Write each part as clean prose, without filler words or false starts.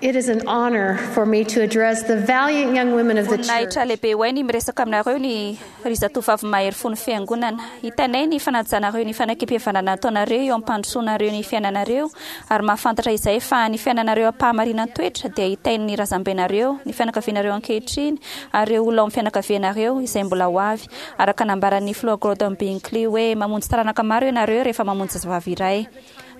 It is an honor for me to address the valiant young women of the Voninahitra church. lehibe ho ahy ny miresaka aminareo ny ry zatovavy mahery fon'ny fiangonana. Hitanay ny fanajanareo ny fanekempihavanana ataonareo eo am-pandrosoanareo ny fiainanareo ary mahafantatra izay fa ny fiainanareo am-pahamarinan-toetra dia hitain'ny razambenareo, ny fianakavianareo ankehitriny ary ireo olona ao amin'ny fianakavianareo izay mbola ho avy. Araka nambaran'ny Filoha Gordon Binkley hoe mamonjy taranaka maro ianareo rehefa mamonjy zazavavy iray.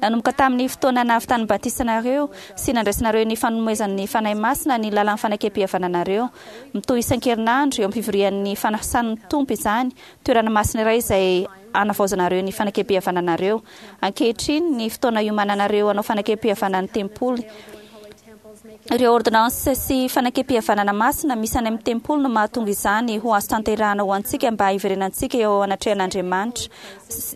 Nanomboka tamin'ny fotoana nahavitan'ny batisanareo sy nandraisanareo ny fanomezan'ny Fanahy Masina ny lalan'ny fanekempihavananareo. Mitohy isan-kerinandro eo am-pivorian'ny fanasan'ny Tompo izany, toerana masina iray izay hanavaozanareo ny fanekempihavananareo. Ankehitriny ny fotoana hiomananareo hanao fanekempihavanan'ny tempoly. Ireo ôrdônansy sy fanekempihavanana masina misy any amin'ny tempoly no mahatonga izany ho azo tanterahana ho antsika mba hiverenantsika eo anatrehan'Andriamanitra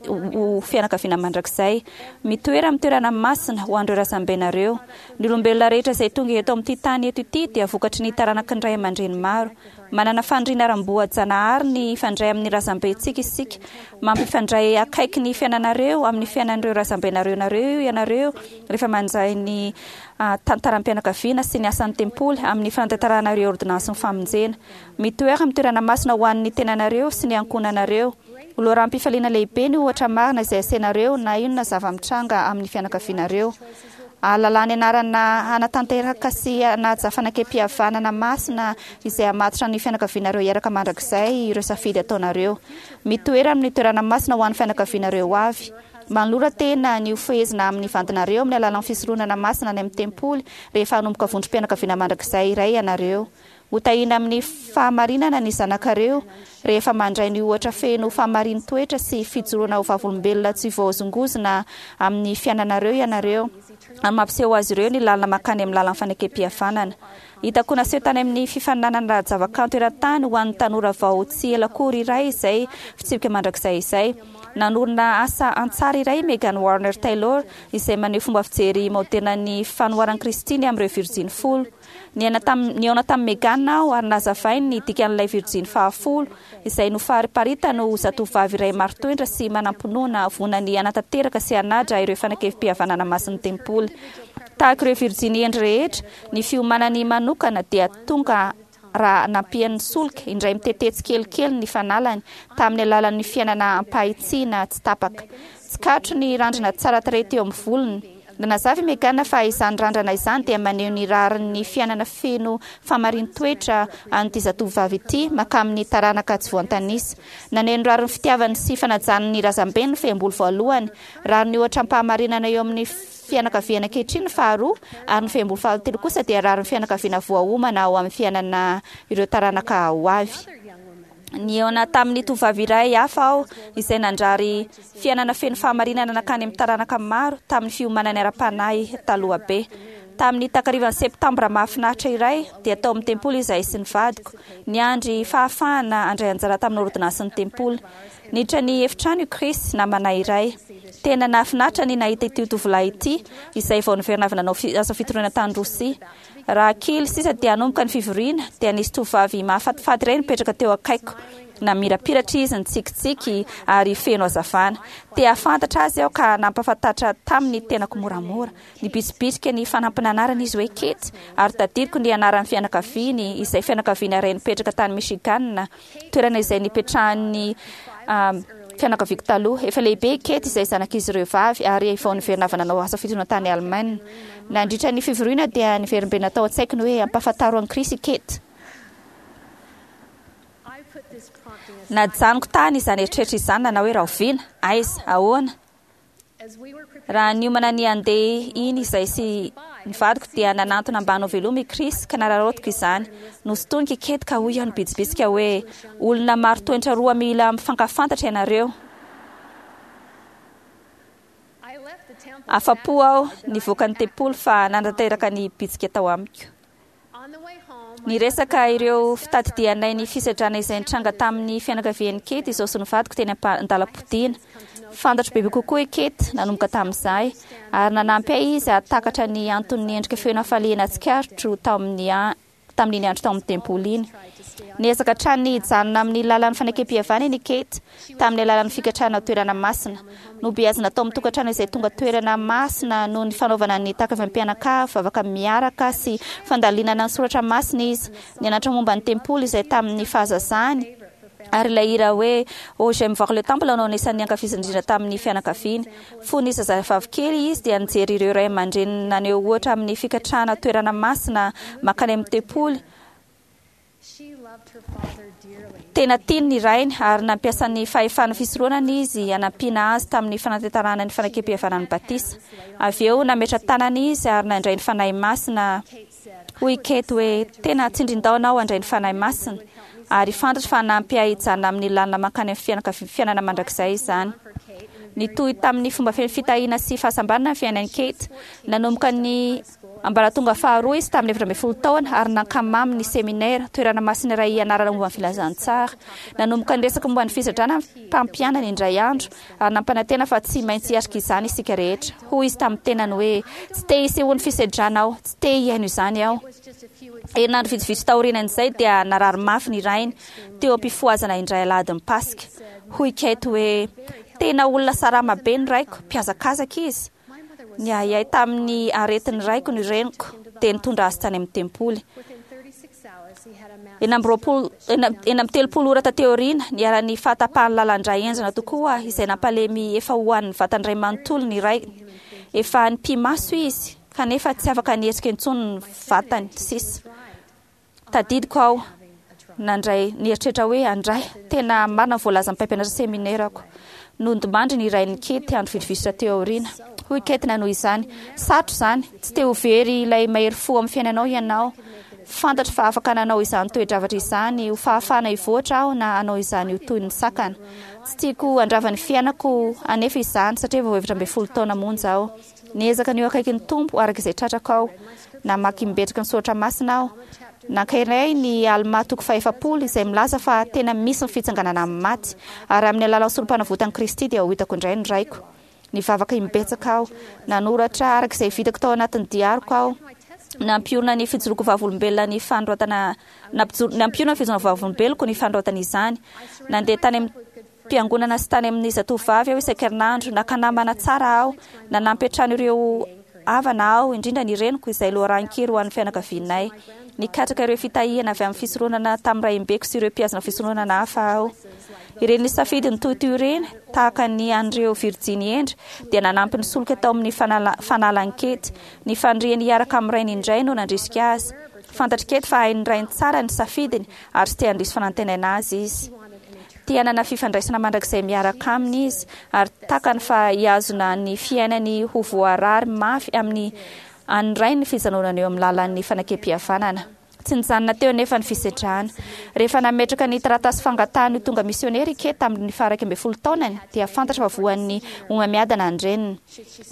ho fianakaviana mandrakizay. Mitoera amin'ny toerana masina ho an'ireo razambenareo. Ny olombelona rehetra izay tonga eto amin'ity tany eto ity dia vokatry ny taranaky ny ray aman-dreny maro. Manana faniriana ara-boajanahary ny hifandray amin'ny razambentsika isika. Mampifandray akaiky ny fiainanareo amin'ny fiainan'ireo razambenareo nareo ianareo rehefa mandray ny tantaram-pianakaviana sy ny asan'ny tempoly amin'ny fanatanterahana ireo ôrdônansin'ny famonjena. Mitoera amin'ny toerana masina ho an'ny tenanareo sy ny ankohonanareo. Ho loharanom-pifaliana lehibe ny ohatra marina izay asainareo na inona zava-mitranga amin'ny fianakavianareo. Ahalalà ny anarana hanatanteraka sy hanaja fanekempihavanana masina izay hamatotra ny fianakavianareo hiaraka mandrakizay ireo safidy ataonareo. Mitoera amin'ny toerana masina ho an'ny fianakavianareo ho avy. Manolora tena ny ho fehezina amin'ny vadinareo amin'ny alalan'ny fisoronana masina any amin'ny tempoly rehefa hanomboka vondrom-pianakaviana mandrakizay iray ianareo. Hotahiana amin'ny fahamarinana ny zanakareo rehefa mandray ny ohatra feno fahamarin-toetra sy fijoroana ho vavolombelona tsy voahozongozona amin'ny fiainanareo ianareo ary mampiseho azy ireo ny lalana mankany amin'ny lalan'ny fanekempihavanana. Hitako naseho tany amin'ny fifaninanana ara-javakanto eran-tany ho an'ny tanora vao tsy ela akory iray izay fitsipika mandrakizay izay. Nanorina asa an-tsary iray i Megan Warner Taylor izay maneho fomba fijery maoderina ny fanoharan'i Kristy ny amin'ireo virjiny folo. Niaina tamin'ny, nihaona tamin'i Megan aho ary nazavainy ny dikan'ilay virjiny fahafolo, izay nofariparitany ho zatovovavy iray marin-toetra sy manam-pinoana vonona ny hanatanteraka sy hanaja ireo fanekempihavanana masin'ny tempoly. Tahaka ireo virjiny hendry rehetra, ny fiomanany manokana dia tonga raha nampian'ny solika indray mitete tsikelikely ny fanalany tamin'ny alalan'ny fiainana am-pahitsiana tsy tapaka. Tsikaritro ny randrana tsara tarehy teo amin'ny volony. Nanazava i Megan fa izany randrana izany dia maneho ny rarin'ny fiainana feno fahamarin-toetra an'ity zatovovavy ity mankamin'ny taranaka tsy voantanisa. Naneho ny rarin'ny fitiavany sy fanajany ny razambeny ny fehimbolo voalohany, rariny ohatra am-pahamarinana eo amin'ny fianakaviana ankehitriny ny faharoa, ary ny fehimbolo fahatelo kosa dia rarin'ny fianakaviana voaomana ao amin'ny fiainana ireo taranaka ho avy. Nihaona tamin'ny tovovavy iray hafa aho izay nandrary fiainana feno fahamarinana nankany amin'ny taranaka maro tamin'ny fiomanany ara-panahy taloha be. Tamin'ny takarivan'ny Septambra mahafinaritra iray, dia tao amin'ny tempoly izahay sy ny vadiko, niandry fahafahana handray anjara tamin'ny ôrdônansin'ny tempoly. Niditra ny efitrano i Chris, namana iray. Tena nahafinaritra ny nahita ity tovolahy ity, izay vao niverina avy nanao asa fitoriana tany Rosia. Raha kely sisa dia hanomboka ny fivoriana, dia nisy tovovavy mahafatifaty iray nipetraka teo akaikiko. Namirapiratra izy, nitsikitsiky ary feno hazavana. Te hahafantatra azy aho ka nampahafantatra taminy ny tenako moramora. Nibitsibitsika ny fanampin'anarany izy hoe Kate, ary tadidiko ny anaran'ny fianakaviany, izay fianakaviana iray nipetraka tany Michigan. toerana izay nipetrahan'ny fianakaviako taloha. Efa lehibe i Kate izay zanak'izy ireo vavy ary vao niverina avy nanao asa fitoriana tany Alemaina. Nandritra ny fivoriana dia niverimberina tao an-tsaiko ny hoe ampahafantaro an'i Chris i Kate. Najanoko tany izany eritreritra izany nanao hoe rahoviana? Aiza? Ahoana? Raha niomana ny handeha iny izahay sy ny vadiko dia nanantona mba hanao veloma i Chris ka nararaotiko izany. Nosintoniko i Kate ka hoy aho nibitsibitsika hoe, Olona maro toetra roa mila mifankafantatra ianareo. Afa-po aho nivoaka ny tempoly fa nanatanteraka ny bitsika tao amiko. Niresaka ireo fitadidianay ny fisedrana izay nitranga tamin'ny fianakavian'i Kate izao sy ny vadiko teny an-dalam-podiana. Fantatro bebe kokoa i Kate nanomboka tamin'izay, ary nanampy ahy izy hahatakatra ny anton'ny endrika feno hafaliana tsikaritro tamin'ny. tamin'iny andro tao amin'ny tempoly iny. Niezaka hatrany ny hijanona amin'ny lalan'ny fanekempihavanana i Kate, tamin'ny alalan'ny fikatrahana toerana masina. Nobeazina tao amin'ny tokantrano izay tonga toerana masina noho ny fanaovana ny takavim-pianakavy, vavaka miaraka sy fandalinana ny soratra masina izy. Nianatra momba ny tempoly izay tamin'ny fahazazany, ary ilay hira hoe Oh j'aime voir le temple no anisan'ny ankafiziny indrindra tamin'ny fianakaviany. Fony zazavavy kely izy dia nijery ireo ray aman-dreniny naneho ohatra amin'ny fikatrahana toerana masina mankany amin'ny tempoly. Tena tiany ny rainy ary nampiasa ny fahefan'ny fisoronana izy hanampiana azy tamin'ny fanatanterahana ny fanekempihavanan'ny batisa. Avy eo nametra-tanana izy ary nandray ny Fanahy Masina. Hoy i Kate hoe, Tena tsindrin-daona aho handray ny Fanahy Masina, ary fantatro fa hanampy ahy hijanona amin'ny lalana mankany amin'ny fiainana mandrakizay izany. Nitohy tamin'ny fomba feno fitahiana sy fahasambarana ny fiainan'i Kate. Nanomboka ny ambaratonga faharoa izy tamin'ny 14 taona ary nankamamy ny seminera, toerana masina iray hianarana momba ny filazantsara. Nanomboka niresaka momba ny fisedrana ny mpampianany indray andro ary nampanantena fa tsy maintsy hiatrika izany isika rehetra. Hoy izy tamin'ny tenany hoe, Tsy te hisehoan'ny fisedrana aho, tsy te hihaino izany aho. Herinandro vitsivitsy taorianan'izay dia narary mafy ny rainy, teo am-pifohazana indray alahadin'ny Paska. Hoy Kate hoe, Tena olona salama be ny raiko, mpihazakazaka izy. Niahiahy tamin'ny aretin'ny raiko ny reniko, dia nitondra azy tany amin'ny tempoly. 36, 36 ora taty aoriana, niharan'ny fahatapahan'ny lalan-dra henjana tokoa izay nampalemy efa ho an'ny vatany iray manontolo ny rainy. Efa nipi-maso izy, kanefa tsy afaka nihetsika intsony ny vatany sisa. Tadidiko aho nandray nieritreritra hoe andray, tena marina ny voalazan'ny mpampianatra seminerako. Nodimandry ny rain'i Kate andro vitsivitsy taty aoriana. Hoy Kate nanohy izany, Sarotra izany, tsy te ho very ilay mahery fo amin'ny fiainanao ianao. Fantatro fa afaka nanao izany toe-javatra izany ho fahafahana hivoatra aho na hanao izany ho toy ny sakana. Tsy tiako handrava ny fiainako anefa izany satria vao 14 taona monja aho. Niezaka ny ho akaikin'ny Tompo araka izay tratrako aho. Namaky imbetraka ny soratra masina aho. Nankahery ny Almà toko fahefapolo izay milaza fa tena misy ny fitsanganana amin'ny maty, ary amin'ny alalan'ny Sorompanavotan'i Kristy dia ho hitako indray ny raiko. Nivavaka imbetsaka aho. Nanoratra araka izay vitako tao anatin'ny diariko aho. Nampiorina ny fijoroako vavolombelona ny fanoratana nampiorina ny fijoroana vavolombeloko ny fanoratana izany. Nandeha tany amin'ny piangonana sy tany amin'ny zatovovavy aho isan-kerinandro. Naka namana tsara aho. Nanampy hatrany ireo havana aho, indrindra ny reniko, izay loharanon-kery ho an'ny fianakavianay. Nikatraka ireo fitahiana avy amin'ny fisoronana tamin'ny raimbeko sy ireo mpihazona fisoronana hafa aho. Ireny safidy nitohitohy ireny, tahaka ny an'ireo virjiny hendry, dia nanampy ny solika tao amin'ny fanalan'i Kate. Ny faniriany hiaraka amin'ny rainy indray no nandrisika azy. Fantatr'i Kate fa hain'ny rainy tsara ny safidiny ary tsy te handiso fanantenana azy izy. Te hanana fifandraisana mandrakizay miaraka aminy izy, ary takany fa hihazona ny fiainany ho voarary mafy amin'ny an'ny rainy ny fijanonany eo amin'ny lalan'ny fanekempihavanana. Tsy nijanona teo anefa ny fisedrana. Rehefa nametraka ny taratasy fangatahany ho tonga misionera i Kate tamin'ny faha-11 taonany, dia fantatra fa voan'ny homamiadana ny reniny.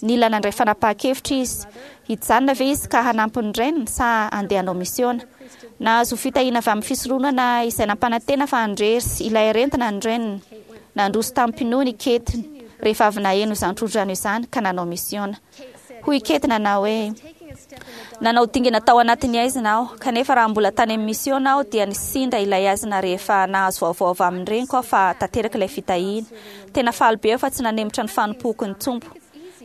Nila nandray fanapahan-kevitra izy. Hijanona ve izy ka hanampy ny reniny sa handeha hanao misiona? Nahazo fitahiana avy amin'ny fisoronana izay nampanantena fa handresy ilay aretina ny reniny. Nandroso tamim-pinoana i Kate rehefa avy naheno izany tsodrano izany ka nanao misiona. Hoy i Kate nanao hoe, Nanao dingana tao anatin'ny haizina aho, kanefa raha mbola tany amin'ny misiona aho dia nisinda ilay haizina rehefa nahazo vaovao avy amin'ny reniko aho fa tanteraka ilay fitahiana. Tena faly be aho fa tsy nanemotra ny fanompoako ny Tompo.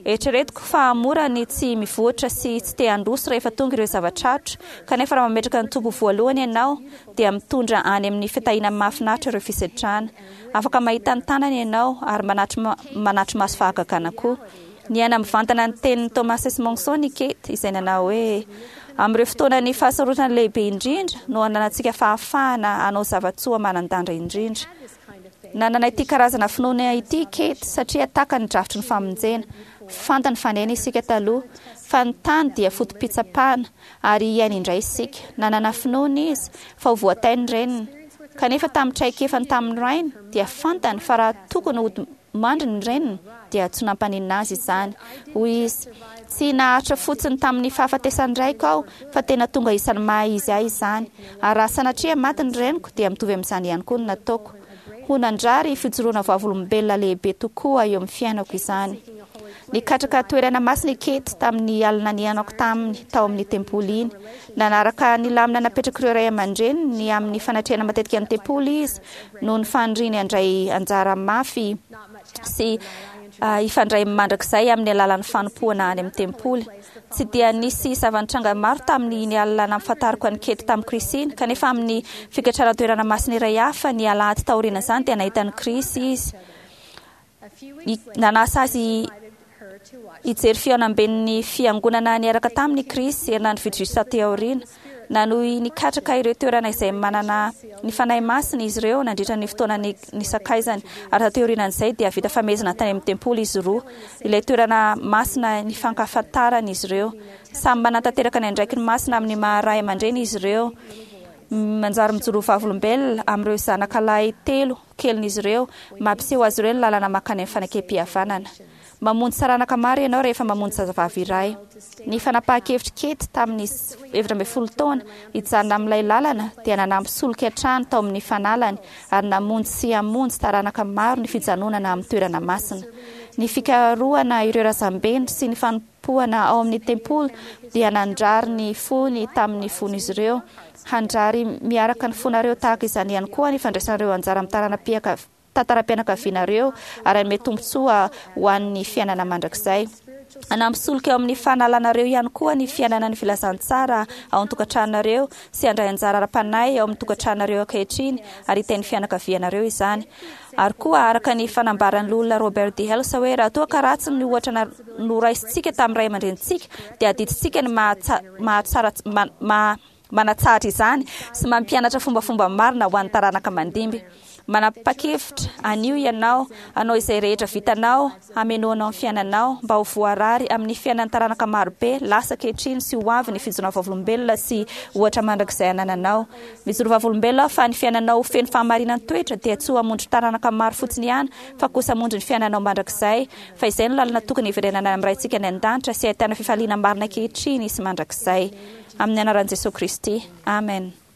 Eritreretiko fa mora ny tsy mivoatra sy tsy te handroso rehefa tonga ireo zava-tsarotra, kanefa raha mametraka ny Tompo voalohany ianao, dia mitondra any amin'ny fitahiana mahafinaritra ireo fisedrana. Afaka mahita ny tanany ianao ary manatri-maso fahagagana koa. Niaina mivantana ny tenin'i Thomas S. Monson i Kate, izay nanao hoe, Amin'ireo fotoanan'ny fahasarotana lehibe indrindra no ananantsika fahafahana hanao zava-tsoa manan-danja indrindra. Nanana ity karazana finoana ity i Kate satria takany ny drafitry ny famonjena. Fantany fa niaina isika taloha, fa ny tany dia foto-pitsapana, ary hiaina indray isika. Nanana finoana izy fa ho voatahy ny reniny. Kanefa tamin'ny traikefany tamin'ny rainy, dia fantany fa raha tokony hody mandry ny reniny, dia tsy nampaninona azy izany. Hoy izy, Tsy naharitra fotsiny tamin'ny fahafatesan'ny raiko aho, fa tena tonga isan'ny maha izy ahy izany. Ary raha sanatria maty ny reniko, dia mitovy amin'izany ihany koa ny nataoko. Ho nandrary fijoroana vavolombelona lehibe tokoa eo amin'ny fiainako izany. Nikatraka toerana masina i Kate tamin'ny alina nihaonako taminy tao amin'ny tempoly iny. Nanaraka ny lamina napetrak'ireo ray aman-dreniny ny amin'ny fanatrehana matetika ny tempoly izy noho ny faniriany handray anjara mafy sy hifandray mandrakizay amin'ny alalan'ny fanompoana any amin'ny tempoly. Tsy dia nisy zava-nitranga maro tamin'iny alina nampahafantariko an'i Kate tamin'i Chris iny, kanefa amin'ny fikatrana toerana masina iray hafa ny alahady taorian'izany dia nahita an'i Chris izy. Nanasa azy hijery fihaonamben'ny fiangonana niaraka taminy i Chris herinandro vitsivitsy taty aoriana. Nanohy nikatraka ireo toerana izay manana ny Fanahy Masina izy ireo nandritra ny fotoana nisakaizany, ary taty aorianan'izay dia vita famehezana tany amin'ny tempoly izy roa, ilay toerana masina nifankafantaran'izy ireo. Samy manatanteraka ny andraikiny masina amin'ny maha-ray aman-dreny izy ireo. Manjary mijoro ho vavolombelona amin'ireo zanaka lahy telo kelin'izy ireo, mampiseho azy ireo ny lalana mankany amin'ny fanekempihavanana. Mamonjy taranaka maro ianao rehefa mamonjy zazavavy iray. Ny fanapahan-kevitr'i Kate tamin'izy 14 taona hijanona amin'ilay lalana dia nanampy solika hatrany tao amin'ny fanalany ary namonjy sy hamonjy taranaka maro ny fijanonana amin'ny toerana masina. Ny fikarohana ireo razambeny sy ny fanompoana ao amin'ny tempoly dia nandrary ny fony tamin'ny fon'izy ireo. Handrary miaraka ny fonareo tahaka izany ihany koa ny fandraisanareo anjara amin'ny taranam-piaka tantaram-pianakavianareo ary hanome tombontsoa ho an'ny fiainana mandrakizay. Hanampy solika eo amin'ny fanalanareo ihany koa ny fiainana ny filazantsara ao an-tokantranonareo sy handray anjara ara-panahy ao amin'ny tokantranonareo ankehitriny ary hitahy ny fianakavianareo izany. Ary koa araka ny fanambaran'ny Loholona Robert D. Hales hoe raha toa ka ratsy ny ohatra noraisintsika tamin'ny ray aman-drenintsika dia adidintsika ny mahatsara manatsahatra izany sy mampianatra fombafomba marina ho an'ny taranaka mandimby. Manapa-kevitra anio ianao hanao izay rehetra vitanao hamenoanao ny fiainanao mba ho voarary amin'ny fiainan'ny taranaka marobe lasa ankehitriny sy ho avy ny fijoroana vavolombelona sy ohatra mandrakizay anananao. Mijoro vavolombelona aho fa ny fiainanao ho feno fahamarinan-toetra dia tsy ho hamonjy taranaka maro fotsiny ihany fa kosa hamonjy ny fiainanao mandrakizay fa izay no lalana tokony hiverenana amin'ny Raintsika any an-danitra sy hahitana fifaliana marina ankehitriny sy mandrakizay. Amin'ny anaran'i Jesoa Kristy. Amen.